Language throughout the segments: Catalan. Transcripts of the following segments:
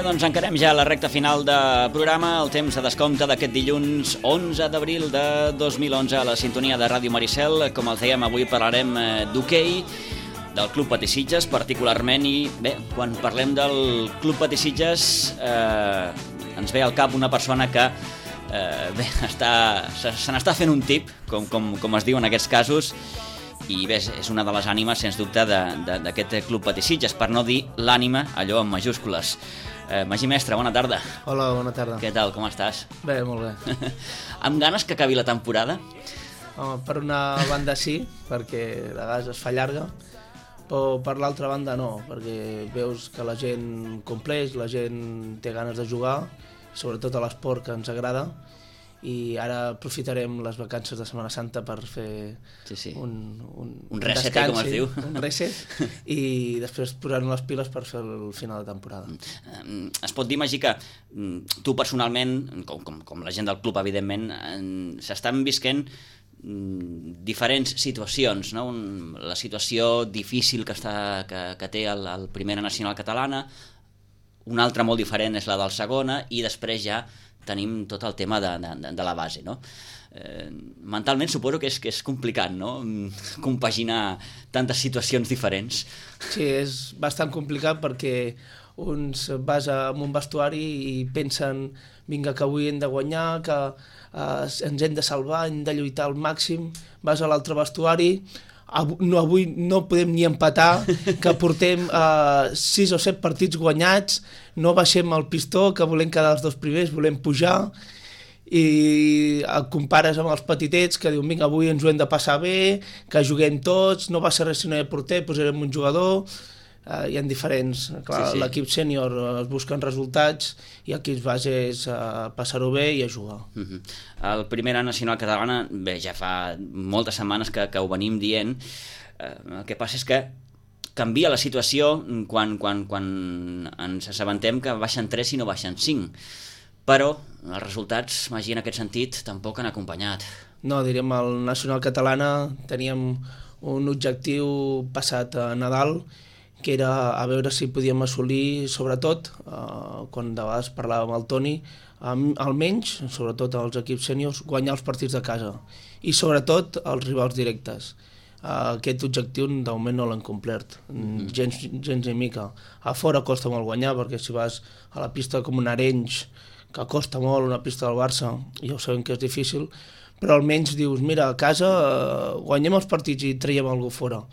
doncs encarem ja la recta final de programa, el temps de descompte d'aquest dilluns 11 d'abril de 2011 a la sintonia de Ràdio Maricel. Com els dèiem, avui parlarem d'hoquei, del Club Patí Sitges particularment, i bé, quan parlem del Club Patí Sitges ens ve al cap una persona que se n'està fent un tip, com es diu en aquests casos, i bé, és una de les ànimes, sens dubte, d'aquest Club Patí Sitges, per no dir l'ànima, allò en majúscules. Magí Mestre, bona tarda. Hola, bona tarda. Què tal, com estàs? Bé, molt bé. Amb ganes que acabi la temporada? Home, per una banda sí, perquè de vegades es fa llarga, però per l'altra banda no, perquè veus que la gent compleix, la gent té ganes de jugar, sobretot a l'esport que ens agrada, i ara aprofitarem les vacances de Setmana Santa per fer un reset, descans, com es diu. Un reset, i després posar-nos les piles per fer el final de temporada. Es pot dir, Magí, que tu personalment, com la gent del club, evidentment, s'estan visquent diferents situacions, no? La situació difícil que té el Primera Nacional Catalana, una altra molt diferent és la del Segona, i després ja tenim tot el tema de la base, no? Mentalment suposo que és complicat, no? Compaginar tantes situacions diferents. Sí, és bastant complicat perquè uns vas en un vestuari i pensen vinga, que avui hem de guanyar, que ens hem de salvar, hem de lluitar al màxim, vas a l'altre vestuari, avui no podem ni empatar, que portem 6 o 7 partits guanyats, no baixem el pistó, que volem quedar els 2 primers, volem pujar, i el compares amb els petitets que diuen vinga, avui ens ho hem de passar bé, que juguem tots, no va ser res si no hi ha porter, posarem un jugador. Hi ha diferents. Clar, sí. L'equip sènior es busquen resultats i equips bases passar-ho bé i a jugar. El Primera Nacional Catalana, bé, ja fa moltes setmanes que ho venim dient. El que passa és que canvia la situació quan ens assabentem que baixen 3 i no baixen 5. Però els resultats, Magí, en aquest sentit, tampoc han acompanyat. No, diríem, al Nacional Catalana teníem un objectiu passat a Nadal, que era a veure si podíem assolir, sobretot, quan de vegades parlàvem amb el Toni, almenys, sobretot als equips sèniors, guanyar els partits de casa i sobretot els rivals directes. Aquest objectiu de moment no l'han complert, gens ni mica. A fora costa molt guanyar, perquè si vas a la pista com un Arenys, que costa molt, una pista del Barça, ja ho sabem que és difícil, però almenys dius, mira, a casa guanyem els partits i traiem alguna cosa fora.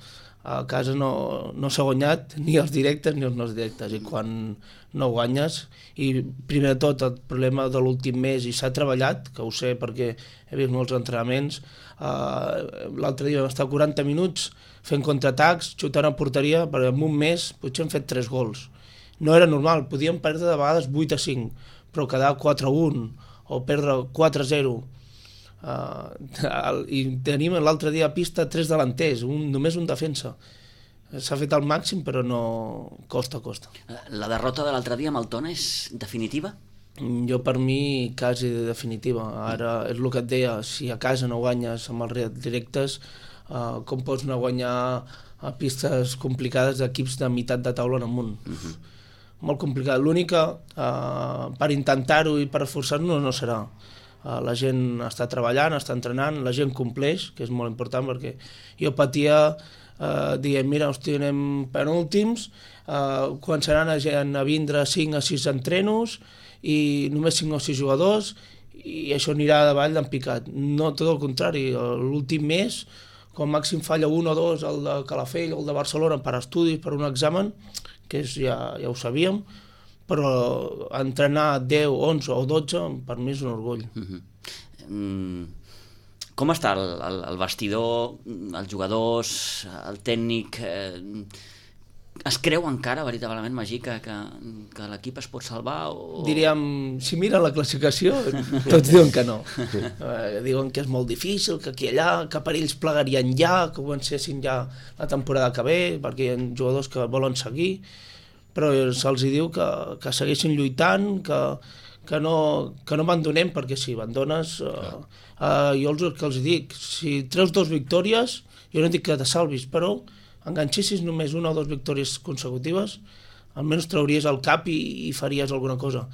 A casa no s'ha guanyat ni els directes ni els no directes, i quan no guanyes, i primer de tot el problema de l'últim mes, i s'ha treballat, que ho sé perquè he vist molts entrenaments, l'altre dia vam estar 40 minuts fent contraatacs, xutant a porteria, perquè en un mes potser hem fet 3 gols. No era normal, podíem perdre de vegades 8-5, però quedar 4-1 o perdre 4-0, i tenim l'altre dia a pista 3 delanters, només un defensa. S'ha fet al màxim, però no costa. La derrota de l'altre dia amb el Tona és definitiva? Jo, per mi, quasi definitiva. Ara és el que et deia, si a casa no guanyes amb els rivals directes, com pots anar a guanyar a pistes complicades d'equips de meitat de taula en amunt? Molt complicat. L'única, per intentar-ho i per esforçar-nos, no serà. La gent està treballant, està entrenant, la gent compleix, que és molt important, perquè jo patia dient, mira, hosti, anem penúltims, començaran a vindre 5 a 6 entrenos i només 5 o 6 jugadors, i això anirà davall d'en picat. No, tot el contrari, l'últim mes, com màxim falla 1 o 2, el de Calafell o el de Barcelona per estudis, per un examen, que ja ho sabíem, però entrenar 10, 11 o 12 per mi és un orgull. Com està el vestidor, els jugadors, el tècnic? Es creu encara, veritablement, Magí, que l'equip es pot salvar? Diríem, si mira la classificació, tots diuen que no. Diuen que és molt difícil, que aquí i allà, que per ells plegarien ja, que comencessin ja la temporada que ve, perquè hi ha jugadors que volen seguir, però se'ls diu que segueixin lluitant, que no abandonem, perquè si abandones, jo el que els dic, si treus 2 victòries, jo no dic que te salvis, però enganxessis només 1 o 2 victòries consecutives, almenys trauries el cap i faries alguna cosa.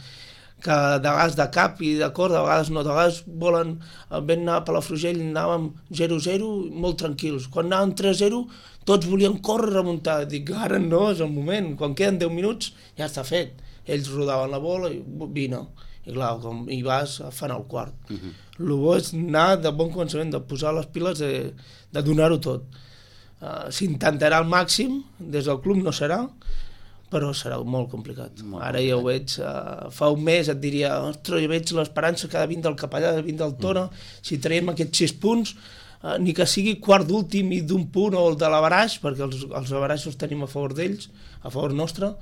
Que de vegades de cap i de cor, de vegades no, de vegades volen, vam anar a Palafrugell, anàvem 0-0, molt tranquils. Quan anàvem 3-0, tots volien córrer, remuntar. Dic, ara no, és el moment, quan queden 10 minuts ja està fet. Ells rodaven la bola i vine. I clar, com hi vas, fan el quart. El bo és anar de bon començament, de posar les piles, de donar-ho tot. S'intentarà al màxim, des del club no serà, però serà molt complicat. Ara ja ho veig, fa un mes et diria, ostres, jo veig l'esperança que ha de vindre del Capellà, de vindre del Tona, si traiem aquests 6 punts, ni que sigui quart d'últim i d'un punt o el de l'averaix, perquè els averaixos tenim a favor d'ells, a favor nostre,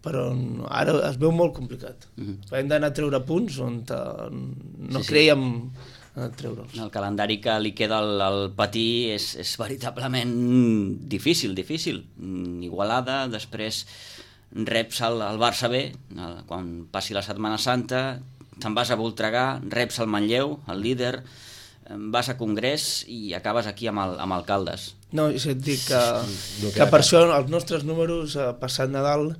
però ara es veu molt complicat. Hem d'anar a treure punts on no creiem treure'ls. El calendari que li queda al Patí és veritablement difícil. Igualada, després reps el Barça B, quan passi la Setmana Santa, te'n vas a Voltregà, reps el Manlleu, el líder, vas a Congrés i acabes aquí amb Alcaldes. No, és a dir que per això els nostres números passat Nadal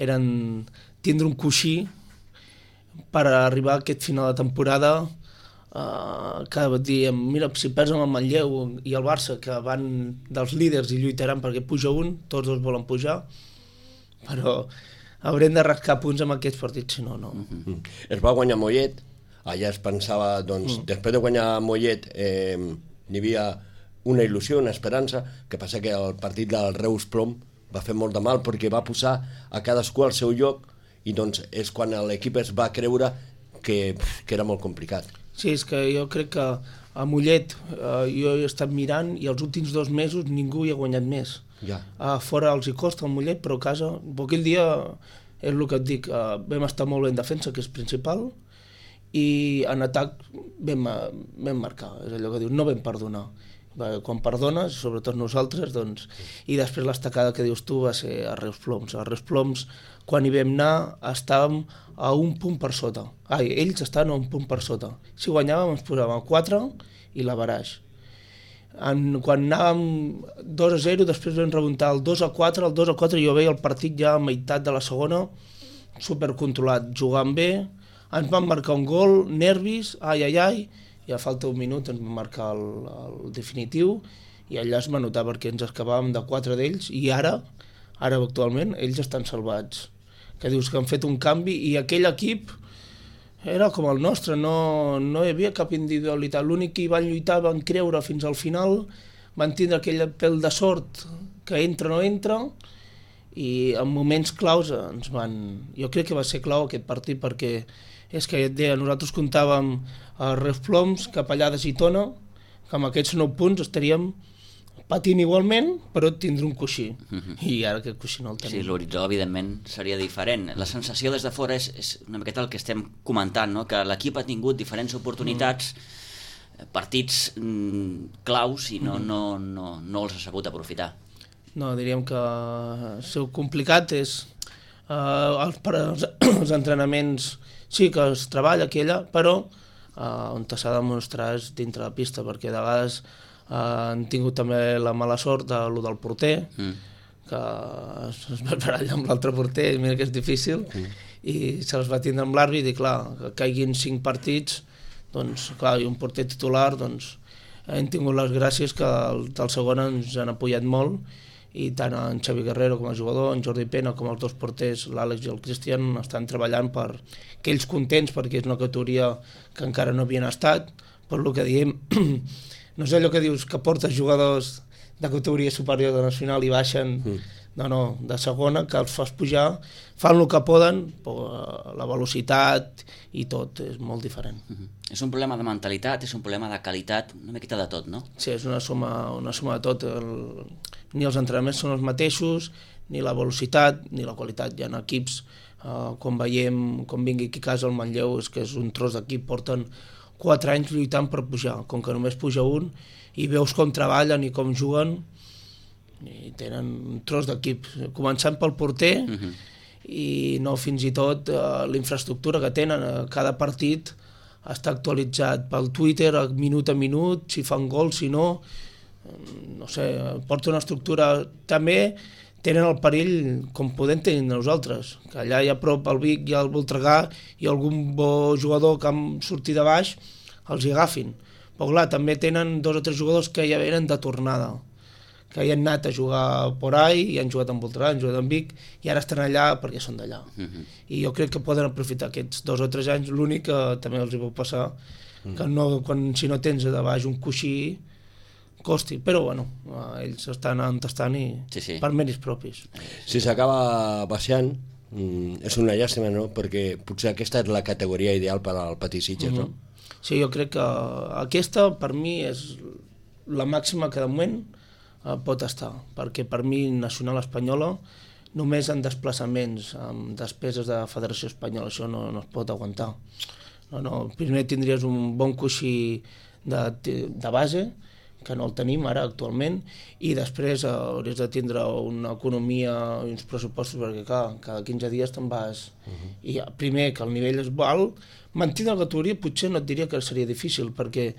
eren tindre un coixí per arribar a aquest final de temporada que diem, mira, si perds amb el Manlleu i el Barça, que van dels líders i lluitaran perquè puja un, tots dos volen pujar, però haurem de rascar punts amb aquests partits, si no, no. Es va guanyar Mollet, allà es pensava, doncs, després de guanyar Mollet n'hi havia una il·lusió, una esperança, que passa que el partit del Reus Plom va fer molt de mal perquè va posar a cadascú al seu lloc i doncs és quan l'equip es va creure que era molt complicat. Sí, és que jo crec que a Mollet jo he estat mirant i els últims 2 mesos ningú hi ha guanyat més. Fora els hi costa el Mollet, però a casa, aquell dia és el que et dic, vam estar molt bé en defensa, que és principal, i en atac vam marcar, és allò que dius, no vam perdonar. Quan perdones, sobretot nosaltres, doncs, i després l'estacada que dius tu va ser a Reus Ploms. A Reus Ploms, quan hi vam anar, estàvem a un punt per sota. Ells estaven a un punt per sota. Si guanyàvem ens posàvem a 4 i l'averaix. Quan anàvem 2-0, després vam remuntar el 2-4, el 2-4 jo veia el partit ja a meitat de la segona, supercontrolat, jugant bé, ens van marcar un gol, nervis, i a falta d'un minut ens van marcar el definitiu i allà es va notar perquè ens escapàvem de 4 d'ells i ara actualment ells estan salvats, que dius que han fet un canvi i aquell equip era com el nostre, no hi havia cap individualitat, l'únic que hi van lluitar, van creure fins al final, van tindre aquell pèl de sort que entra o no entra i en moments claus jo crec que va ser clau aquest partit perquè és que et deia, nosaltres comptàvem a Reus Ploms, Capellades i Tona, que amb aquests 9 punts estaríem patint igualment, però tindre un coixí. I ara aquest coixí no el tenim. Sí, l'horitzó, evidentment, seria diferent. La sensació des de fora és una miqueta el que estem comentant, no? Que l'equip ha tingut diferents oportunitats, partits claus i no els ha sabut aprofitar. No, diríem que el seu complicat és els entrenaments sí que es treballa aquí allà, però on s'ha de demostrar és dintre la pista, perquè de vegades han tingut també la mala sort de lo del porter, que es va barallar amb l'altre porter, mira que és difícil, i se'ls va tindre amb l'àrbit i clar, que caiguin 5 partits, doncs clar, i un porter titular, doncs hem tingut les gràcies que del segon ens han apoyat molt, i tant en Xavi Guerrero com a jugador, en Jordi Pena com els 2 porters, l'Àlex i el Cristian, estan treballant per que ells contents perquè és una categoria que encara no havien estat, per lo que diem, no sé allò que dius que portes jugadors de categoria superior de nacional i baixen, no, de segona, que els fas pujar, fan el que poden, però la velocitat i tot és molt diferent. És un problema de mentalitat, és un problema de qualitat, una miqueta de tot, no? Sí, és una suma de tot. Ni els entrenaments són els mateixos, ni la velocitat, ni la qualitat. Hi ha equips, quan veiem, com vingui aquí a casa el Manlleu, és que és un tros d'equip, porten 4 anys lluitant per pujar, com que només puja un, i veus com treballen i com juguen, i tenen un tros d'equip, començant pel porter, i no fins i tot la infraestructura que tenen, cada partit està actualitzat pel Twitter minut a minut, si fan gol, si no sé, porta una estructura. També tenen el perill com podem tenir nosaltres, que allà a prop al Vic i al Voltregà i algun bo jugador que han sortit de baix els hi agafin. Però clar, també tenen 2 o 3 jugadors que ja venen de tornada, que hi han anat a jugar por ahí, i han jugat en Voltregà, han jugat en Vic, i ara estan allà perquè són d'allà. I jo crec que poden aprofitar aquests 2 o 3 anys. L'únic que també els hi pot passar, que si no tens de baix un coixí, costi, però bueno, ells estan entestant i per mèrits propis. Si s'acaba baixant, és una llàstima, no? Perquè potser aquesta és la categoria ideal per al Patí Sitges, no? Sí, jo crec que aquesta per mi és la màxima que de moment pot estar, perquè per mi nacional espanyola només en desplaçaments, amb despeses de Federació Espanyola, això no es pot aguantar. Primer tindries un bon coixí de base, que no el tenim ara actualment, i després hauries de tindre una economia i uns pressupostos, perquè clar, cada 15 dies te'n vas. I primer, que el nivell és alt, mantenir la categoria potser no et diria que seria difícil, perquè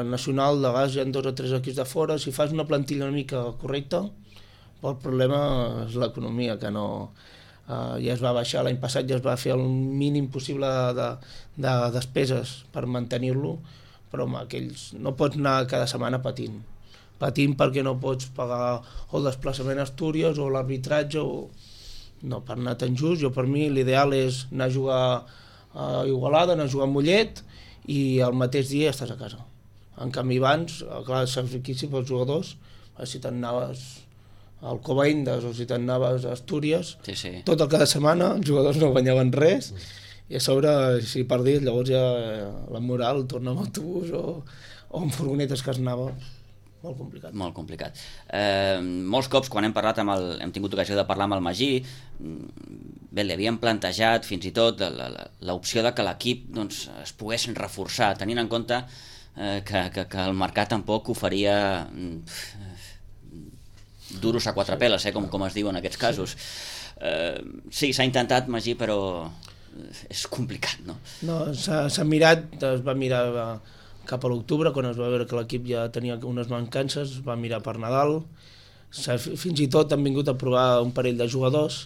nacional de gas hi ha 2 o 3 equips de fora, si fas una plantilla una mica correcta, el problema és l'economia, que no... ja es va baixar l'any passat, ja es va fer el mínim possible de despeses per mantenir-lo, però home, aquells no pots anar cada setmana patint perquè no pots pagar el desplaçament a Astúries o l'arbitratge no, per anar tan just. Per mi l'ideal és anar a jugar a Igualada, anar a jugar a Mollet i el mateix dia estàs a casa. En canvi abans, clar, saps riquíssim pels jugadors, si te'n anaves al Covaindes o si te'n anaves a Astúries, tot el cada setmana els jugadors no guanyaven res, i a sobre, si perdies, llavors ja la moral torna amb autobús o amb furgonetes que es anava. Molt complicat. Molt complicat. Molts cops, quan hem tingut ocasió de parlar amb el Magí, bé, li havíem plantejat fins i tot l'opció de que l'equip es pogués reforçar, tenint en compte que el mercat tampoc oferia duros a 4 peles, com es diu en aquests casos. Sí, s'ha intentat, Magí, però és complicat, no? No, s'ha mirat, es va mirar cap a l'octubre, quan es va veure que l'equip ja tenia unes mancances, es va mirar per Nadal, fins i tot han vingut a provar un parell de jugadors,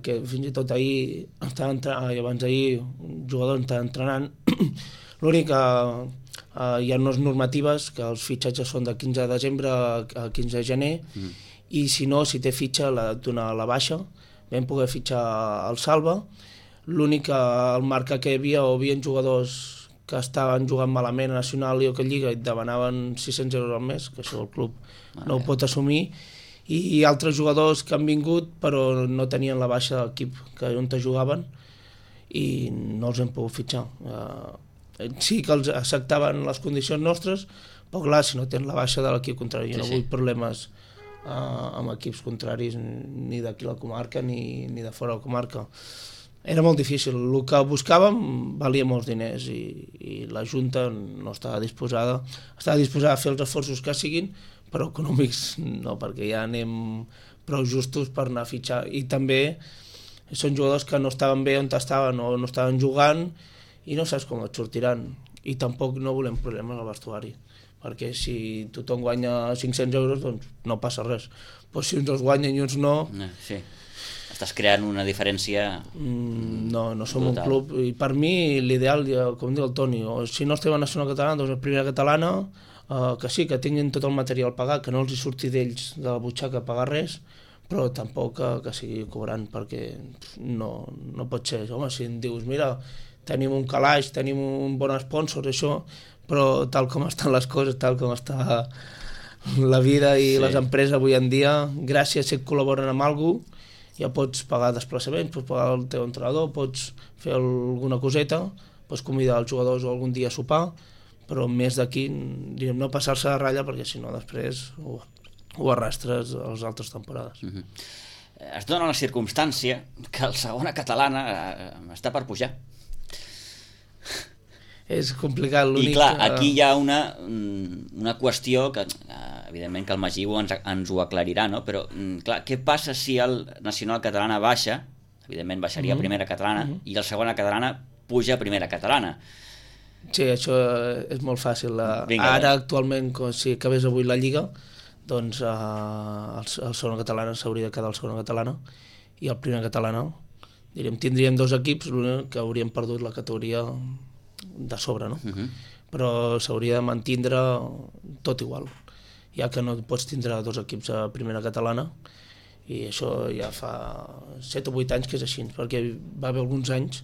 que fins i tot ahir, abans d'ahir, un jugador estava entrenant. L'únic que hi ha unes normatives que els fitxatges són de 15 de desembre a 15 de gener, i si no, si té fitxa, l'ha de donar a la baixa. Vam poder fitxar el Salva. L'únic que al marca que hi havia jugadors que estaven jugant malament a Nacional i a Lliga i demanaven 600 euros al mes, que això el club no ho pot assumir, i altres jugadors que han vingut però no tenien la baixa de l'equip on jugaven i no els hem pogut fitxar. Sí que els acceptaven les condicions nostres, però clar, si no tens la baixa de l'equip contrari, jo no vull problemes amb equips contraris ni d'aquí la comarca ni de fora de la comarca. Era molt difícil, el que buscàvem valia molts diners i la Junta no estava disposada a fer els esforços que siguin, però econòmics no, perquè ja anem prou justos per anar a fitxar, i també són jugadors que no estaven bé on estaven o no estaven jugant i no saps com et sortiran, i tampoc no volem problemes al vestuari, perquè si tothom guanya 500 euros doncs no passa res, però si uns els guanyen i uns no... Sí. Estàs creant una diferència... No som un club, i per mi l'ideal, com diu el Toni, si no estem a Nacional Catalana, doncs a Primera Catalana, que sí, que tinguin tot el material pagat, que no els hi surti d'ells de la butxaca pagar res, però tampoc que sigui cobrant, perquè no pot ser. Home, si em dius, mira, tenim un calaix, tenim un bon sponsor, això, però tal com estan les coses, tal com està la vida i les empreses avui en dia, gràcies si et col·laboren amb algú, ja pots pagar desplaçaments, pots pagar el teu entrenador, pots fer alguna coseta, pots convidar els jugadors algun dia a sopar, però més d'aquí, no passar-se de ratlla, perquè si no després ho arrastres a les altres temporades. Es dona la circumstància que el segona catalana està per pujar. És complicat, l'únic... I clar, aquí hi ha una qüestió que, evidentment, que el Magí ens ho aclarirà, no? Però, clar, què passa si el Nacional Catalana baixa, evidentment baixaria a Primera Catalana, i el segona catalana puja a Primera Catalana? Sí, això és molt fàcil. Ara, actualment, si acabés avui la Lliga, doncs el segona catalana s'hauria de quedar el segona catalana i el primera catalana, tindríem 2 equips, l'únic que hauríem perdut la categoria de sobre, no? Però s'hauria de mantindre tot igual, ja que no pots tindre 2 equips a primera catalana, i això ja fa 7 o 8 anys que és així, perquè va haver alguns anys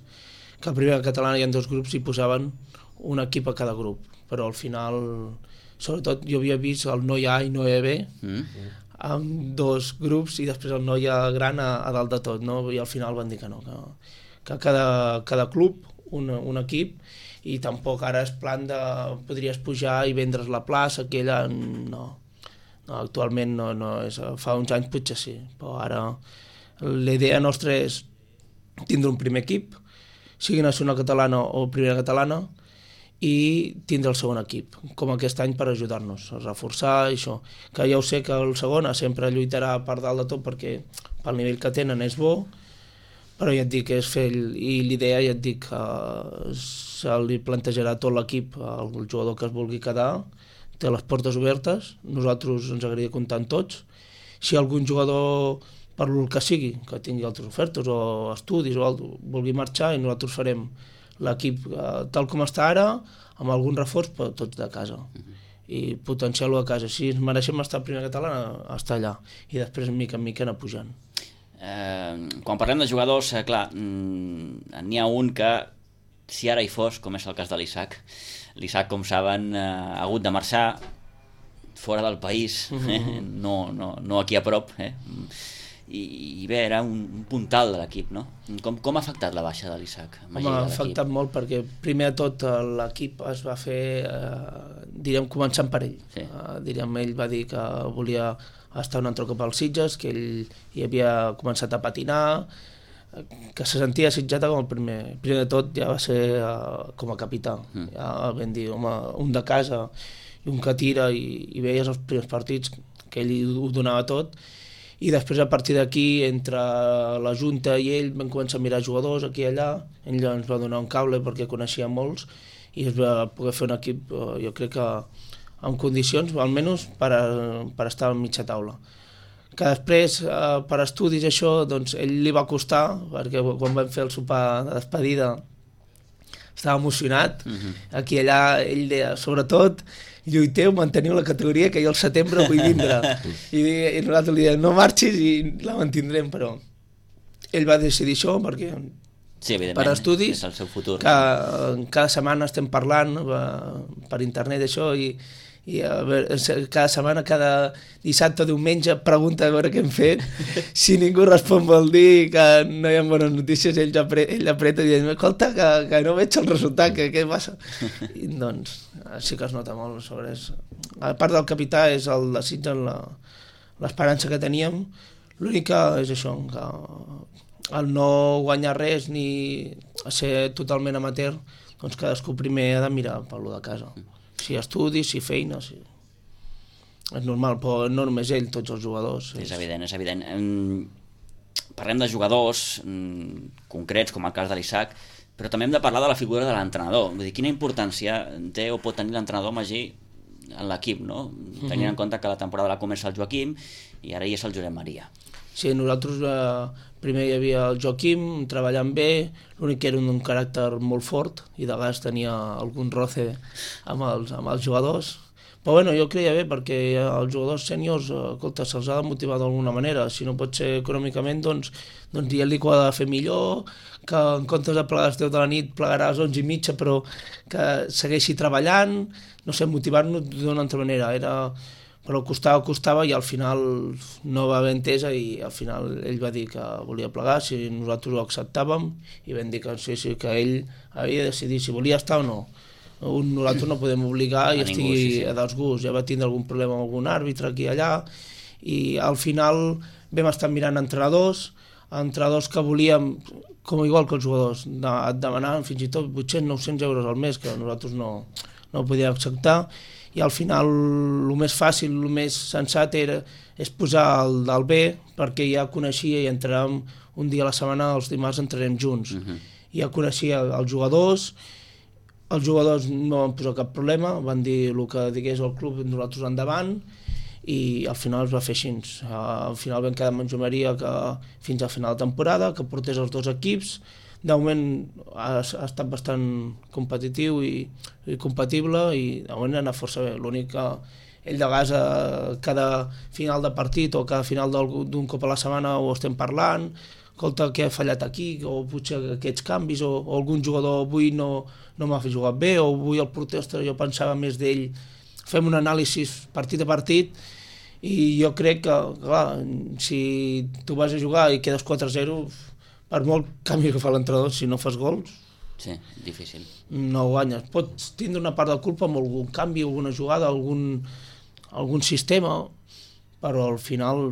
que a primera catalana hi ha 2 grups i posaven un equip a cada grup, però al final, sobretot jo havia vist el Noia A i Noia B amb 2 grups i després el Noia Gran a dalt de tot, no? I al final van dir que no, que cada club un equip, i tampoc ara és plan de podries pujar i vendre's la plaça aquella, no, actualment no és, fa uns anys potser sí, però ara la idea nostra és tindre un primer equip, sigui nacional catalana o primera catalana, i tindre el segon equip, com aquest any, per ajudar-nos a reforçar això, que ja ho sé que el segona sempre lluitarà per dalt de tot perquè pel nivell que tenen és bo, però ja et dic que és fer, i l'idea ja et dic que se li plantejarà tot l'equip, el jugador que es vulgui quedar té les portes obertes, nosaltres ens agradaria comptar amb tots, si algun jugador per el que sigui, que tingui altres ofertes o estudis o algo, vulgui marxar, i nosaltres farem l'equip tal com està ara, amb algun reforç, però tots de casa, i potenciar-lo a casa. Si ens mereixem estar a primera catalana, estar allà, i després mica en mica anar pujant. Quan parlem de jugadors, clar, n'hi ha un que, si ara hi fos, com és el cas de l'Isaac, com saben, ha hagut de marxar fora del país, no aquí a prop, i bé, era un puntal de l'equip, no? Com ha afectat la baixa de l'Isaac? M'ha afectat molt perquè primer de tot l'equip es va fer, començant per ell. Sí. Ell va dir que volia estar un altre cop als Sitges, que ell hi havia començat a patinar, que se sentia sitjata com el primer. Primer de tot ja va ser com a capità. Ja vam dir, home, un de casa i un que tira, i veies els primers partits que ell ho donava tot, i després a partir d'aquí, entre la Junta i ell, vam començar a mirar jugadors aquí i allà, ell ens va donar un cable perquè coneixia molts, i es va poder fer un equip, jo crec que en condicions, almenys per estar a mitja taula. Que després, per estudis això, doncs ell li va costar, perquè quan vam fer el sopar de despedida estava emocionat, aquí i allà ell deia, sobretot, lluiteu, manteniu la categoria, que jo al setembre vull vindre. I nosaltres li dèiem, no marxis i la mantindrem, però ell va decidir això perquè sí, per estudis, és el seu futur. Que cada setmana estem parlant per internet això, i a veure, cada setmana, cada dissabte o diumenge pregunta a veure què hem fet. Si ningú respon vol dir que no hi ha bones notícies, ell apreta i diu, escolta, que no veig el resultat, què passa? I doncs sí que es nota molt sobre això. A part del capità és el desig, l'esperança que teníem. L'únic que és això, que el no guanyar res ni ser totalment amateur, doncs cadascú primer ha de mirar per lo de casa. Si estudis, si feina, si... és normal, però no només ell, tots els jugadors. És evident. Parlem de jugadors concrets, com el cas de l'Isaac, però també hem de parlar de la figura de l'entrenador. Vull dir, quina importància té o pot tenir l'entrenador Magí en l'equip, no? Tenint en compte que la temporada la comença el Joaquim i ara hi és el Josep Maria. Sí, nosaltres primer hi havia el Joaquim treballant bé, l'únic que era un caràcter molt fort i de vegades tenia algun roce amb els jugadors. Però bueno, jo creia bé perquè els jugadors sèniors, escolta, se'ls ha de motivar d'alguna manera. Si no pot ser econòmicament, doncs dient-li que ho ha de fer millor, que en comptes de plegar a les 10 de la nit plegarà a les 11:30, però que segueixi treballant, no sé, motivar-nos d'una altra manera. Però costava i al final no va haver entesa i al final ell va dir que volia plegar, si nosaltres ho acceptàvem, i vam dir que sí, que ell havia de decidir si volia estar o no. Nosaltres no podem obligar i estigui a dels gusts. Ja va tindre algun problema amb algun àrbitre aquí i allà, i al final vam estar mirant entrenadors que volíem, com igual que els jugadors, demanaven fins i tot 800-900 euros al mes, que nosaltres no podíem acceptar, i al final el més fàcil, el més sensat és posar el del B, perquè ja coneixia i entràvem un dia a la setmana, els dimarts entrarem junts. Ja coneixia els jugadors no van posar cap problema, van dir el que digués el club, nosaltres endavant, i al final es va fer així. Al final vam quedar amb en Joan que fins al final de temporada, que portés els dos equips. De moment ha estat bastant competitiu i compatible i de moment ha anat força bé. L'únic que ell de vegades cada final de partit o cada final d'un cop a la setmana ho estem parlant, escolta, què ha fallat aquí, o potser aquests canvis, o algun jugador avui no m'ha fet jugar bé, o avui el porter, jo pensava més d'ell. Fem un anàlisi partit a partit i jo crec que, clar, si tu vas a jugar i quedes 4-0, per molt canvi que fa l'entrenador, si no fas gols, sí, difícil. No guanyes. Pots tindre una part de culpa amb algun canvi, alguna jugada, algun sistema, però al final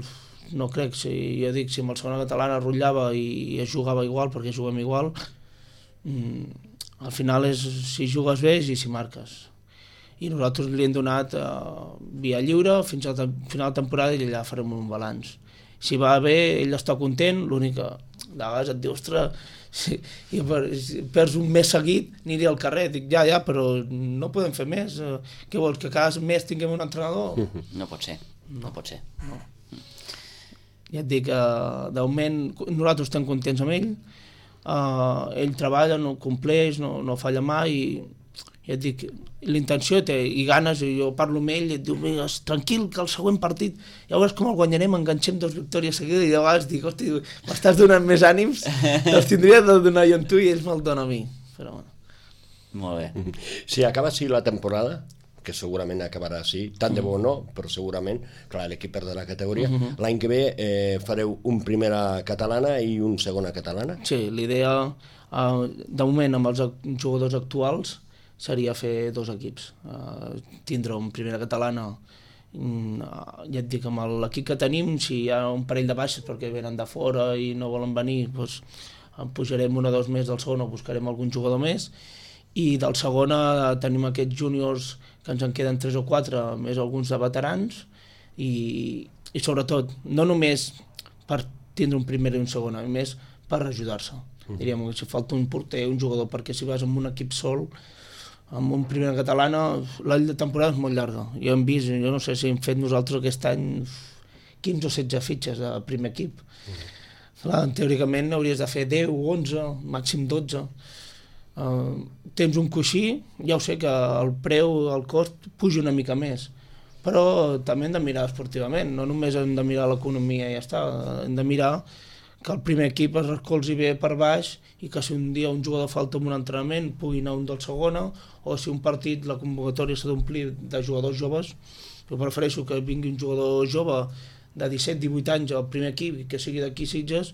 no crec. Jo dic, si amb el segona catalana rotllava i es jugava igual, perquè juguem igual, al final és si jugues bé i si marques. I nosaltres li hem donat via lliure fins al final de temporada i allà farem un balanç. Si va bé, ell està content, l'únic que de vegades et diu, ostres, si perds un mes seguit, aniré al carrer. Dic, ja, però no podem fer més. Què vols, que cada mes tinguem un entrenador? No pot ser, no pot ser. No. Ja et dic, de moment nosaltres estem contents amb ell, ell treballa, no compleix, no falla mai, i ja et dic, l'intenció té i ganes, i jo parlo amb ell i et diu, tranquil, que el següent partit ja veuràs com el guanyarem, enganxem 2 victòries seguides, i de vegades dic, hosti, m'estàs donant més ànims, te'ls tindria de donar jo amb tu i ells me'l dona a mi, però bueno. Molt bé. Si acaba així la temporada, que segurament acabarà així, tant de bo no, però segurament, clar, l'equip perd la categoria, l'any que ve fareu un primera catalana i un segona catalana? Sí, l'idea, de moment, amb els jugadors actuals, seria fer 2 equips. Tindre un primera catalana, ja et dic, amb l'equip que tenim, si hi ha un parell de baixes perquè venen de fora i no volen venir, doncs pujarem 1 o 2 més del segon o buscarem algun jugador més, i del segona tenim aquests júniors que ens en queden 3 o 4, més alguns de veterans, i sobretot, no només per tindre un primer i un segon, a més per ajudar-se. Diríem que si falta un porter, un jugador, perquè si vas amb un equip sol, amb un primera catalana, la temporada és molt llarga. Jo hem vist, jo no sé si hem fet nosaltres aquest any 15 o 16 fitxes de primer equip. Clar, teòricament hauries de fer 10, 11, màxim 12. Tens un coixí, ja ho sé que el preu, el cost, puja una mica més, però també hem de mirar esportivament, no només hem de mirar l'economia i ja està, hem de mirar que el primer equip es recolzi bé per baix i que si un dia un jugador falta en un entrenament pugui anar un del segona, o si un partit, la convocatòria s'ha d'omplir de jugadors joves, jo prefereixo que vingui un jugador jove de 17-18 anys al primer equip i que sigui d'aquí Sitges,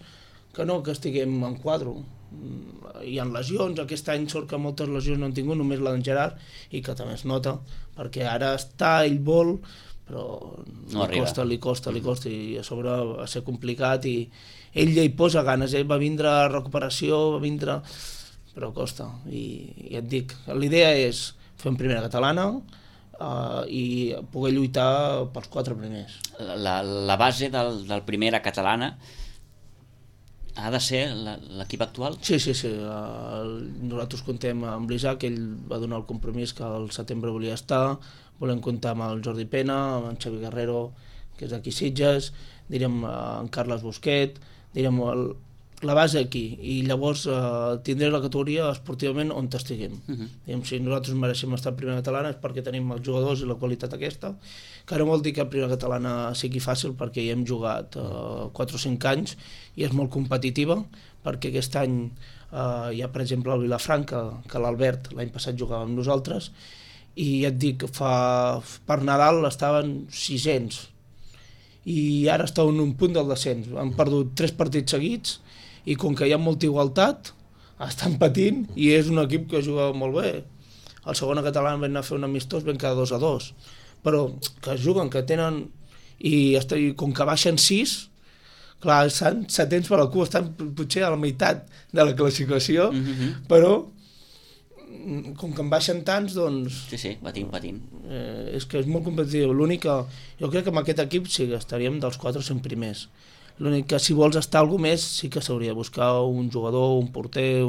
que no que estiguem en quadro. Hi ha lesions, aquest any sort que moltes lesions no han tingut, només la d'en Gerard, i que també es nota, perquè ara està, ell vol, però no li costa, i a sobre va ser complicat, i ell ja hi posa ganes, va vindre a recuperació, però costa, i ja et dic, l'idea és fer una primera catalana i poder lluitar pels 4 primers. La base del primera catalana ha de ser l'equip actual? Sí. Nosaltres contem amb l'Isaac, ell va donar el compromís que al setembre volia estar, volem comptar amb el Jordi Pena, amb en Xavi Guerrero, que és d'aquí Sitges, direm en Carles Busquet, direm la base aquí, i llavors tindré la categoria esportivament on estiguem. Si nosaltres mereixem estar a primera catalana és perquè tenim els jugadors i la qualitat aquesta, que no vol dir que a primera catalana sigui fàcil, perquè hi hem jugat 4 o 5 anys i és molt competitiva, perquè aquest any hi ha per exemple el Vilafranca, que l'Albert l'any passat jugava amb nosaltres, i ja et dic, per Nadal estaven 600 i ara estan en un punt del descens, han perdut 3 partits seguits i com que hi ha molta igualtat estan patint i és un equip que juga molt bé. El segona català vam anar a fer un amistós, vam quedar 2-2, però que juguen, que tenen, i com que baixen 6, clar, estan 700 per al cul, estan potser a la meitat de la classificació, però com que en baixen tants, doncs... Sí, patint. És que és molt competitiu. L'únic que jo crec que amb aquest equip sí que estaríem dels 4 o 5 primers. L'únic que si vols estar algú més sí que s'hauria de buscar un jugador, un porter,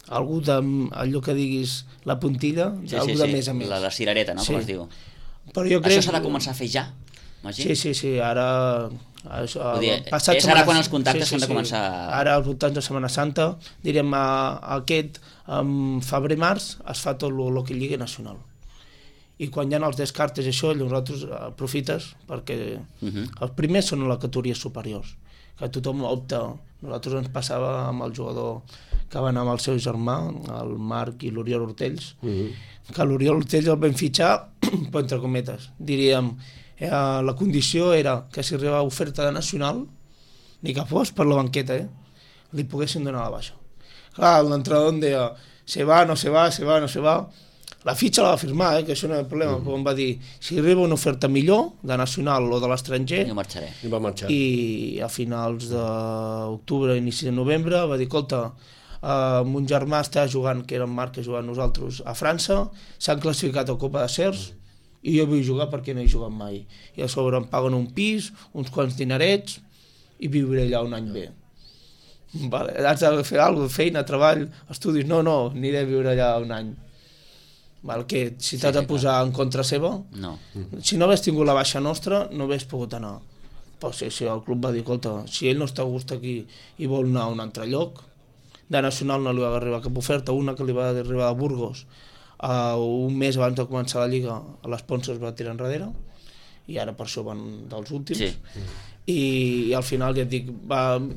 algú allò que diguis la puntilla, algú de més a més. La cirereta, no? Sí. Com es diu. Però jo crec... Això s'ha de començar a fer ja? Magí? Sí, ara... És ara quan els contactes s'han de començar... Ara, als voltants de Setmana Santa, diríem, febrer-març es fa tot el que Lliga Nacional. I quan hi ha els descartes i això, nosaltres aprofites, perquè els primers són a les categories superiors, que tothom opta. Nosaltres ens passava amb el jugador que va anar amb el seu germà, el Marc i l'Oriol Hortells, que l'Oriol Hortells el vam fitxar, però entre cometes, diríem, la condició era que si arribava oferta de nacional, ni que fos per la banqueta, li poguessin donar la baixa. Clar, l'entrenador em deia, se va, no se va, se va, no se va. La fitxa la va firmar, que això no és el problema, però em va dir, si arriba una oferta millor, de nacional o de l'estranger, jo marxaré. I va marxar. I a finals d'octubre, inici de novembre, va dir, escolta, mon germà està jugant, que era en Marc que jugava amb nosaltres, a França, s'han classificat a Copa de Cers, i jo vull jugar perquè no he jugat mai. I a sobre em paguen un pis, uns quants dinerets, i viuré allà un any bé. Vale, has de fer alguna cosa, feina, treball, estudis, no, aniré a viure allà un any. Val, que si t'has de posar en contra seva, no. Si no hagués tingut la baixa nostra, no hagués pogut anar. Però si el club va dir, escolta, si ell no està a gust aquí i vol anar a un altre lloc, de nacional no li va arribar cap oferta, una que li va arribar a Burgos, un mes abans de començar la Lliga, l'Esponsor es va tirar enrere, i ara per això van dels últims. Sí. I al final ja et dic,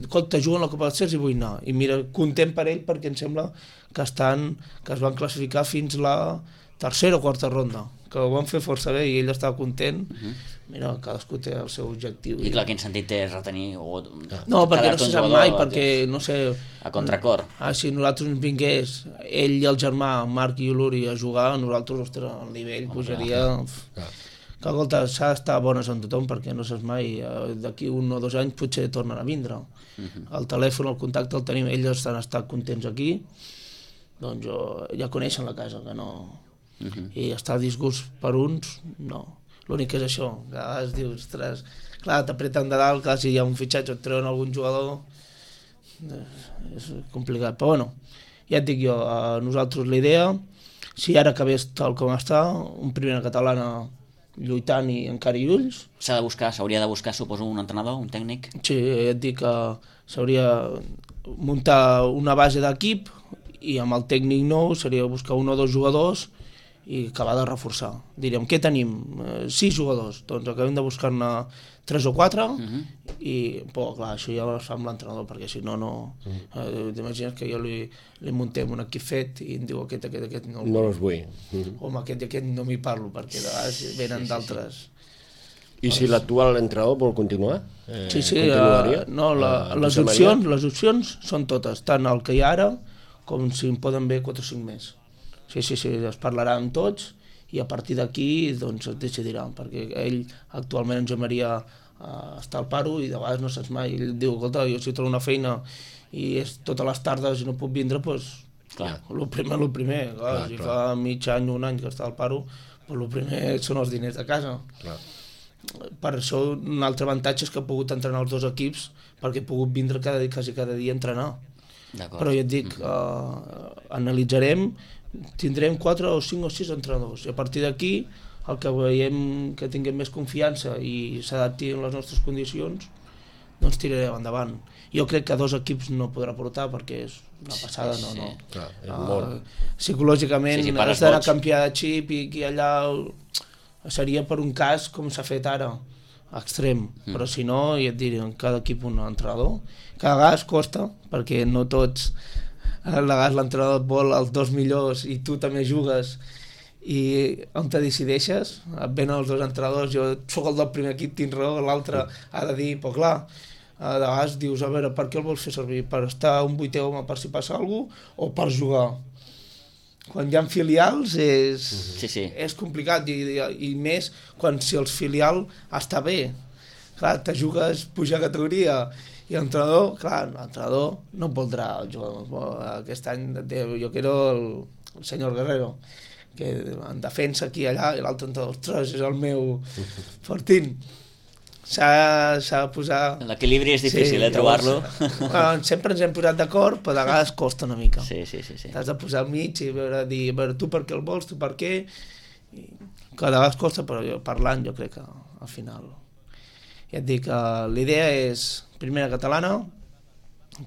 escolta, juguen la Copa dels Cers i vull anar. I mira, content per ell perquè em sembla que es van classificar fins la tercera o quarta ronda, que ho van fer força bé i ell estava content. Mira, cadascú té el seu objectiu. I clar, quin sentit té retenir... No, perquè no se sap mai, perquè no sé... A contracor. Si nosaltres ens vingués ell i el germà, Marc i l'Uri, a jugar, nosaltres, ostres, el nivell pujaria... Que, escolta, s'ha d'estar bones amb tothom perquè no saps mai, d'aquí 1 o 2 anys potser tornen a vindre. El telèfon, el contacte el tenim, ells han estat contents aquí, doncs ja coneixen la casa, que no... I estar a disgust per uns, no. L'únic que és això, que a vegades dius, ostres, clar, t'apreten de dalt, clar, si hi ha un fitxatge o et treuen algun jugador, és complicat. Però bueno, ja et dic jo, a nosaltres la idea, si ara acabés tal com està, un primera catalana lluitant i encara i ulls. S'hauria de buscar, suposo, un entrenador, un tècnic? Sí, ja et dic que s'hauria muntar una base d'equip i amb el tècnic nou seria buscar 1 o 2 jugadors i acabar de reforçar. Diríem, què tenim? 6 jugadors, doncs acabem de buscar-ne 3 o 4 i, però clar, això ja es fa amb l'entrenador perquè si no, t'imagines que jo li muntem un equip fet i em diu aquest no els vull. O amb aquest no m'hi parlo perquè de vegades venen d'altres. I si l'actual entrenador vol continuar? Sí, no, les opcions són totes, tant el que hi ha ara com si en poden haver 4 o 5 més. Sí, es parlarà amb tots i a partir d'aquí doncs es decidirà, perquè ell actualment en Josep Maria està al paro i de vegades no saps mai, ell diu, escolta, jo si trobo una feina i és totes les tardes i no puc vindre, doncs el primer, si fa mig any, un any que està al paro, el primer són els diners de casa. Per això un altre avantatge és que he pogut entrenar els 2 equips perquè he pogut vindre quasi cada dia a entrenar. Però ja et dic, analitzarem, tindrem 4 o 5 o 6 entrenadors i a partir d'aquí el que veiem que tinguem més confiança i s'adapti a les nostres condicions doncs tirarem endavant. Jo crec que 2 equips no podrà portar perquè és una passada, psicològicament has d'anar a canviar de xip i allà seria per un cas com s'ha fet ara extrem, però si no ja et diré, en cada equip un entrenador, cada vegada costa perquè no tots a vegades l'entrenador et vol els 2 millors i tu també jugues i on te decideixes, et venen els 2 entrenadors, jo soc el del primer equip, tinc raó, l'altre ha de dir, però clar, a vegades dius, a veure, per què el vols fer servir? Per estar un 8è home per si passa alguna cosa o per jugar? Quan hi ha filials és complicat i més quan si el filial està bé, clar, te jugues pujar a categoria i l'entrenador, clar, l'entrenador no voldrà jugar aquest any, jo quiero el senyor Guerrero, que en defensa aquí i allà, i l'altre entrenador, ostres, és el meu Fortín. S'ha de posar... L'equilibri és difícil, trobar-lo. Sempre ens hem posat d'acord, però de vegades costa una mica. Sí. T'has de posar al mig i veure tu per què el vols, tu per què... Cada vegada costa, però parlant jo crec que al final ja et dic, l'idea és primera catalana,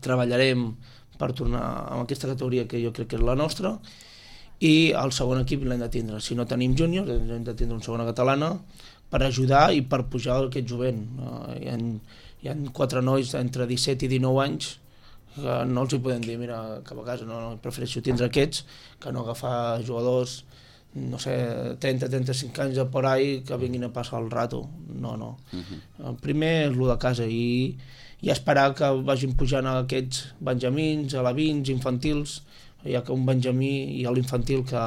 treballarem per tornar a aquesta categoria que jo crec que és la nostra, i el segon equip l'hem de tindre. Si no tenim júniors, hem de tindre una segona catalana per ajudar i per pujar aquest jovent. Hi ha 4 nois entre 17 i 19 anys que no els hi podem dir, mira, cap a casa, no, prefereixo tindre aquests que no agafar jugadors, no sé, 30-35 anys de por ahí que vinguin a passar el rato. No. El primer és el de casa i esperar que vagin pujant aquests benjamins, alevins, infantils, ja que un benjamí i l'infantil que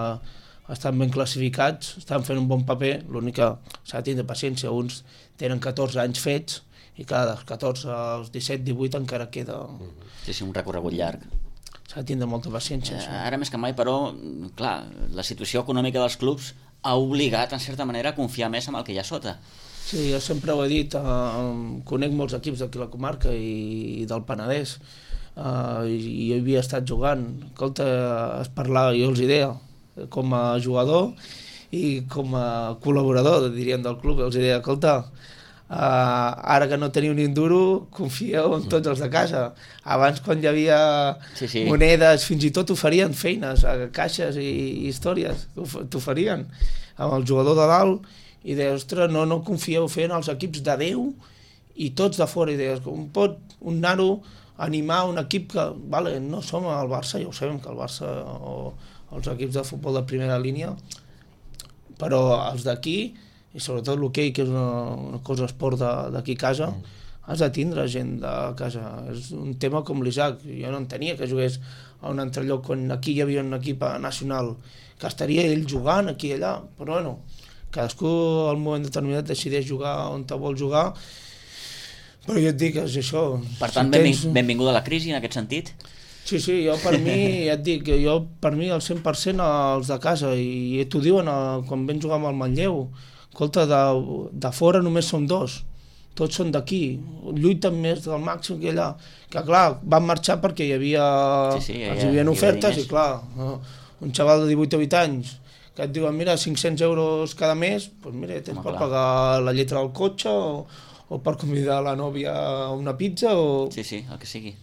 estan ben classificats, estan fent un bon paper, l'únic que s'ha de tindre paciència, uns tenen 14 anys fets i cada dels 14 als 17-18 encara queda... Sí, un recorregut llarg. S'ha de tindre molta paciència. Ara més que mai, però, clar, la situació econòmica dels clubs ha obligat, en certa manera, a confiar més en el que hi ha sota. Sí, jo sempre ho he dit, conec molts equips d'aquí la comarca i del Penedès, i jo havia estat jugant. Escolta, es parlava, jo els deia, com a jugador i com a col·laborador, diríem, del club, els deia, escolta, ara que no teniu ni un duro, confieu en tots els de casa. Abans, quan hi havia monedes, fins i tot oferien feines a caixes i històries, t'oferien amb el jugador de dalt, i deies, ostres, no confieu fent els equips de 10 i tots de fora, i deies, com pot un nano animar un equip que, vale, no som el Barça, ja ho sabem que el Barça o els equips de futbol de primera línia, però els d'aquí, i sobretot l'hoquei, que és una cosa esport d'aquí a casa, has de tindre gent de casa. És un tema com l'Isaac, jo no entenia que jugués a un altre lloc quan aquí hi havia un equip nacional, que estaria ell jugant aquí i allà, però bueno, cadascú al moment determinat decideix jugar on te vol jugar. Però jo et dic, és això. Per tant, benvinguda a la crisi, en aquest sentit? Sí, jo per mi, ja et dic, per mi el 100% els de casa, i t'ho diuen quan vam jugar amb el Manlleu. Escolta, de fora només són 2, tots són d'aquí, lluiten més del màxim que allà. Que clar, van marxar perquè hi havia ofertes, i clar, un xaval de 18 o 20 anys, que et diuen, mira, 500 euros cada mes, doncs mira, tens per pagar la lletra del cotxe o per convidar la nòvia a una pizza o... Sí, el que sigui.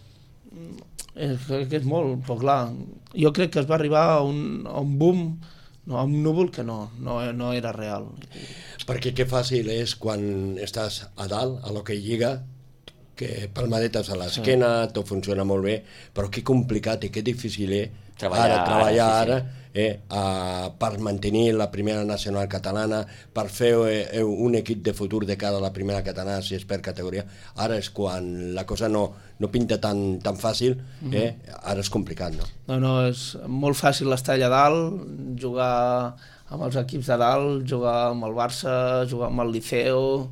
És molt, però clar, jo crec que es va arribar a un boom, a un núvol que no era real. Perquè que fàcil és quan estàs a dalt, a l'hoquei lliga, que palmadetes a l'esquena, tot funciona molt bé, però que complicat i que difícil és treballar ara per mantenir la primera nacional catalana, per fer un equip de futur de cara a la primera catalana, si és per categoria. Ara és quan la cosa no pinta tan fàcil, ara és complicat, no? No, és molt fàcil estar allà dalt, jugar amb els equips de dalt, jugar amb el Barça, jugar amb el Liceo,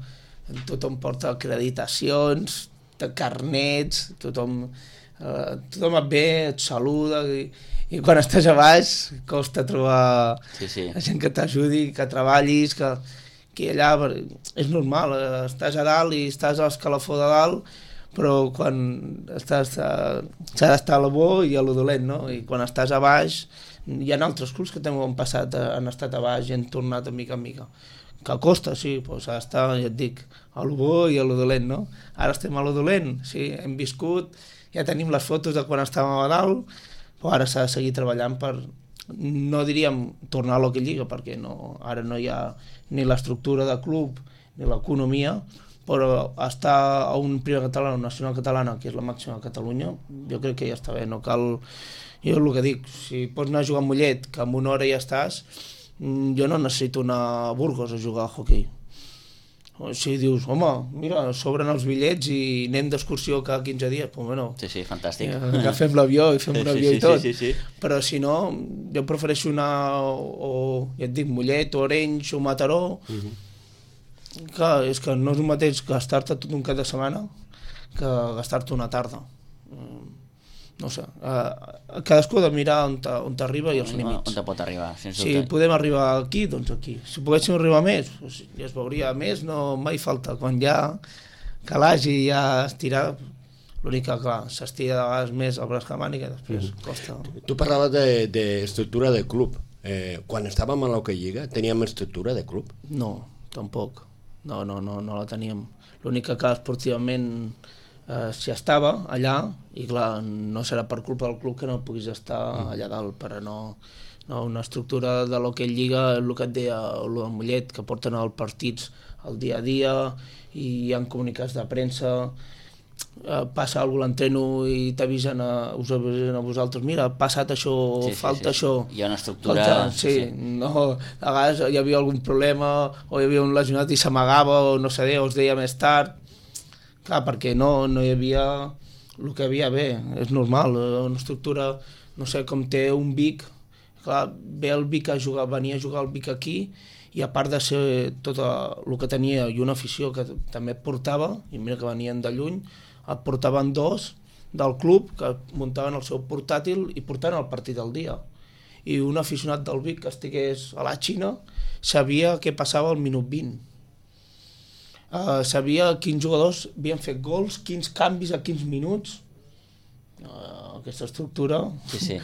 tothom porta acreditacions, carnets, tothom et ve, et saluda, i quan estàs a baix costa trobar gent que t'ajudi, que treballis, que allà és normal, estàs a dalt i estàs a l'escalafó de dalt, però quan estàs s'ha d'estar a la bo i a lo dolent, no? I quan estàs a baix, hi ha altres clubs que també han passat, han estat a baix i han tornat de mica en mica, que costa, sí, però s'ha d'estar, ja et dic, a lo bo i a lo dolent, no? Ara estem a lo dolent, sí, hem viscut, ja tenim les fotos de quan estàvem a dalt, però ara s'ha de seguir treballant per, no diríem tornar a l'hoquei lliga, perquè ara no hi ha ni l'estructura de club ni l'economia, però estar a un primer català, una nacional catalana, que és la màxima a Catalunya, jo crec que ja està bé, no cal... Jo el que dic, si pots anar a jugar a Mollet, que en una hora ja estàs, jo no necessito anar a Burgos a jugar a hoquei. Si dius, home, mira, sobren els bitllets i anem d'excursió cada 15 dies, doncs bueno... Sí, fantàstic. Agafem l'avió i fem un avió i tot. Sí. Però si no, jo prefereixo anar ja et dic, Mollet, Orenys o Mataró. Clar, és que no és el mateix gastar-te tot un cap de setmana que gastar-te una tarda. No sé, cadascú ha de mirar on t'arriba i els límits. On te pot arribar, sens dubte. Si podem arribar aquí, doncs aquí. Si poguéssim arribar més, doncs ja es veuria més, no mai falta. Quan ja calaix i ja estirar, l'únic que, clar, s'estira de vegades més el braç que màniga, després costa. Tu parlaves d'estructura de club. Quan estàvem a l'Hoquei Lliga, teníem estructura de club? No, tampoc. no la teníem. L'únic que esportivament s'hi estava allà, i clar, no serà per culpa del club que no puguis estar allà dalt, però no, una estructura de l'hoquei lliga, el que et deia el de Mollet, que porten els partits al dia a dia, i hi ha comunicats de premsa, passa alguna cosa a l'entreno i t'avisen us avisen a vosaltres, mira, ha passat això, falta això. Hi ha una estructura... No, a vegades hi havia algun problema, o hi havia un lesionat i s'amagava, o no sé, o es deia més tard. Clar, perquè no hi havia el que havia bé, és normal, una estructura, no sé, com té un Vic, clar, ve el Vic venia a jugar el Vic aquí, i a part de ser tot el que tenia i una afició que també portava, i mira que venien de lluny, et portaven dos del club que muntaven el seu portàtil i portaven el partit al dia. I un aficionat del Vic que estigués a la Xina sabia què passava al minut 20. Sabia quins jugadors havien fet gols, quins canvis a quins minuts. Aquesta estructura... Sí.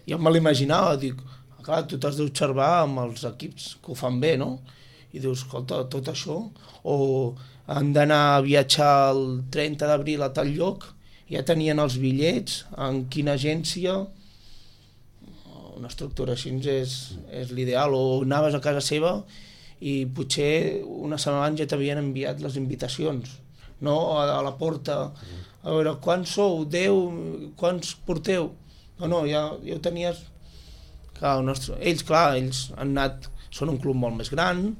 Jo me l'imaginava, dic, clar, tu t'has d'observar amb els equips que ho fan bé, no? I dius, escolta, tot això, o han d'anar a viatjar el 30 d'abril a tal lloc, ja tenien els bitllets, en quina agència, una estructura així és l'ideal, o anaves a casa seva i potser una setmana abans ja t'havien enviat les invitacions, no? A la porta, a veure, quants sou? 10? Quants porteu? No, ja ho tenies... Clar, ells han anat, són un club molt més gran,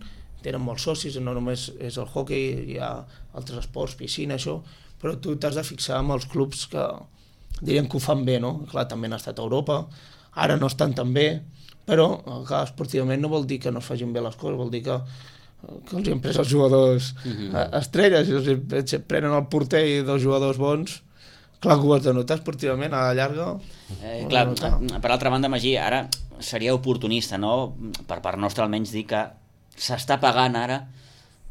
tenen molts socis, no només és el hoquei, hi ha altres esports, piscina, això, però tu t'has de fixar en els clubs que dirien que ho fan bé, no? Clar, també han estat a Europa, ara no estan tan bé, però clar, esportivament no vol dir que no es facin bé les coses, vol dir que els han pres els jugadors estrelles, i els prenen el porter i dos jugadors bons, clar que ho has de notar esportivament a la llarga. Clar, per altra banda, Magí, ara seria oportunista, no? Per part nostra almenys dir que s'està pagant ara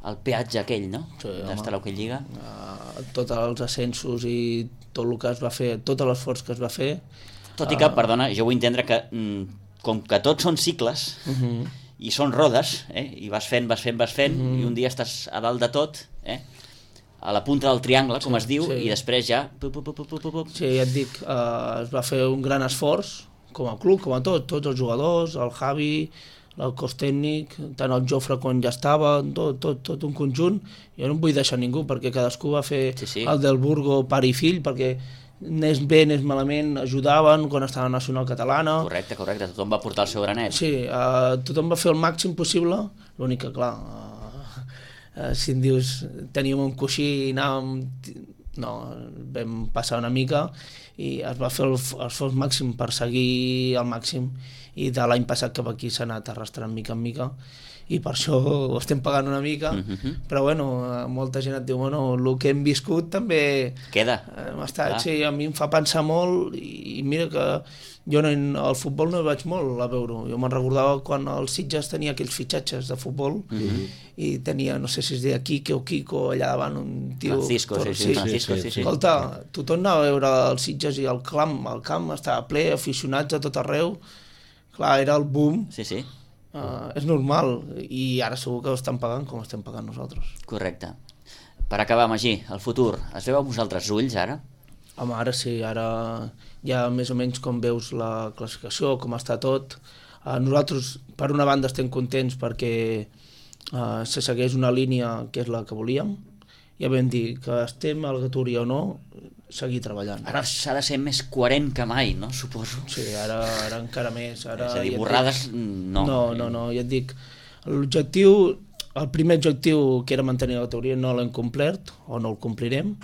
el peatge aquell, no? Sí, d'estar a l'Hoquei Lliga. Tots els ascensos i tot el que es va fer, tot l'esforç que es va fer. Tot i que, perdona, jo vull entendre que com que tots són cicles i són rodes, i vas fent, i un dia estàs a dalt de tot, a la punta del triangle, com es diu, i després ja... Sí, ja et dic, es va fer un gran esforç, com a club, com a tots els jugadors, el Javi, el cos tècnic, tant el Jofre quan ja estava, tot un conjunt. Jo no em vull deixar ningú, perquè cadascú va fer el del Burgo pare i fill, perquè anés bé, anés malament, ajudaven quan estava a la Nacional Catalana. Correcte, tothom va portar el seu granet. Sí, tothom va fer el màxim possible, l'únic que, clar, si em dius, teníem un coixí i anàvem... No, vam passar una mica i es va fer l'esforç màxim per seguir al màxim, i de l'any passat cap aquí s'ha anat arrastrant mica en mica, i per això ho estem pagant una mica, però bueno, molta gent et diu, bueno, el que hem viscut també... Queda. Sí, a mi em fa pensar molt, i mira que jo al futbol no hi vaig molt a veure-ho. Jo me'n recordava quan el Sitges tenia aquells fitxatges de futbol, i tenia, no sé si es deia Quique o Quico, allà davant un tio... Francisco, sí. Escolta, tothom anava a veure el Sitges i el camp estava ple, aficionats a tot arreu. Clar, era el boom. Sí. És normal, i ara segur que ho estan pagant com estem pagant nosaltres. Correcte. Per acabar, Magí, el futur, es veu amb vosaltres ulls ara? Home, ara sí, ara ja més o menys com veus la classificació, com està tot. Nosaltres, per una banda, estem contents perquè se segueix una línia que és la que volíem. Ja vam dir que estem a la categoria o no, seguir treballant. Ara s'ha de ser més coherent que mai, no? Suposo. Sí, ara encara més. Ara, és a dir, borrades, no. No, ja et dic, l'objectiu, el primer objectiu que era mantenir la categoria no l'hem complert, o no el complirem,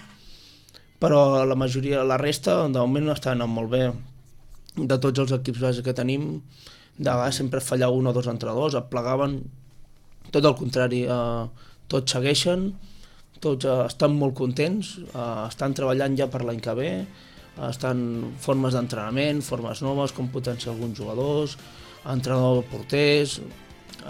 però la majoria, la resta, de moment està anant molt bé. De tots els equips bàsics que tenim, de vegades sempre fallava un o dos entrenadors, et plegaven, tot el contrari, tots segueixen, tots estan molt contents, estan treballant ja per l'any que ve, estan formes d'entrenament, formes noves, com potenciar alguns jugadors, entrenador porters,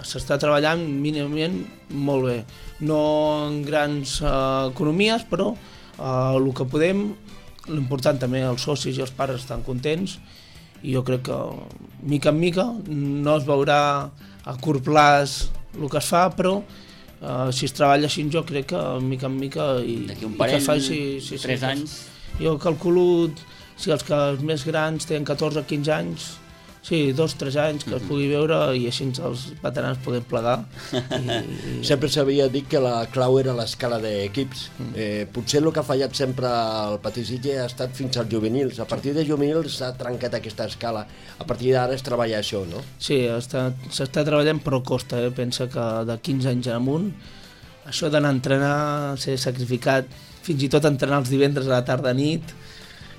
s'està treballant mínimament molt bé. No en grans economies, però el que podem, l'important també, els socis i els pares estan contents, i jo crec que mica en mica no es veurà a curt plaç el que es fa, però Si es treballa així, jo crec que mica en mica d'aquí un parell, 3 anys. Jo calculo, si els més grans tenen 14 o 15 anys, sí, 2-3 anys que es pugui veure i així els veterans podem plegar. Sempre s'havia dit que la clau era l'escala d'equips. Potser el que ha fallat sempre al Patí Sitges ha estat fins als juvenils. A partir de juvenils s'ha trencat aquesta escala. A partir d'ara es treballa això, no? Sí, s'està treballant però costa. Pensa que de 15 anys en amunt, això d'anar a entrenar, ser sacrificat, fins i tot entrenar els divendres a la tarda nit,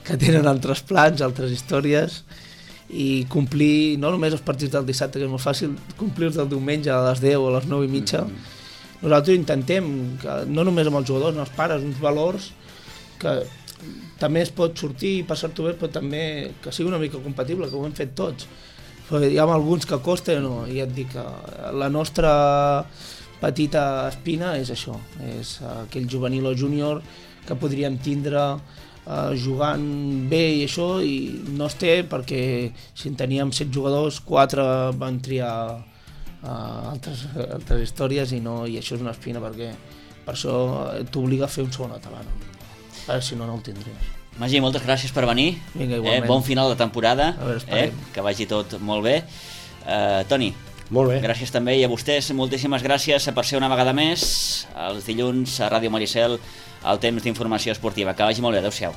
que tenen altres plans, altres històries, i complir no només els partits del dissabte, que és molt fàcil, complir-los del diumenge a les 10 o a les 9:30. Nosaltres intentem, que no només amb els jugadors, amb els pares, uns valors que també es pot sortir i passar-t'ho bé, però també que sigui una mica compatible, que ho hem fet tots. Però hi ha alguns que costa, no? I ja et dic que la nostra petita espina és això, és aquell juvenil o júnior que podríem tindre jugant bé i això, i no es té perquè si en teníem 7 jugadors, 4 van triar altres històries i això és una espina, perquè per això t'obliga a fer un segon català, si no, no el tindries. Magí, moltes gràcies per venir. Vinga, igualment. Bon final de temporada, a veure, que vagi tot molt bé. Toni, molt bé. Gràcies també, i a vostès moltíssimes gràcies per ser una vegada més els dilluns a Ràdio Maricel al temps d'informació esportiva. Que vagi molt bé, adeu-siau.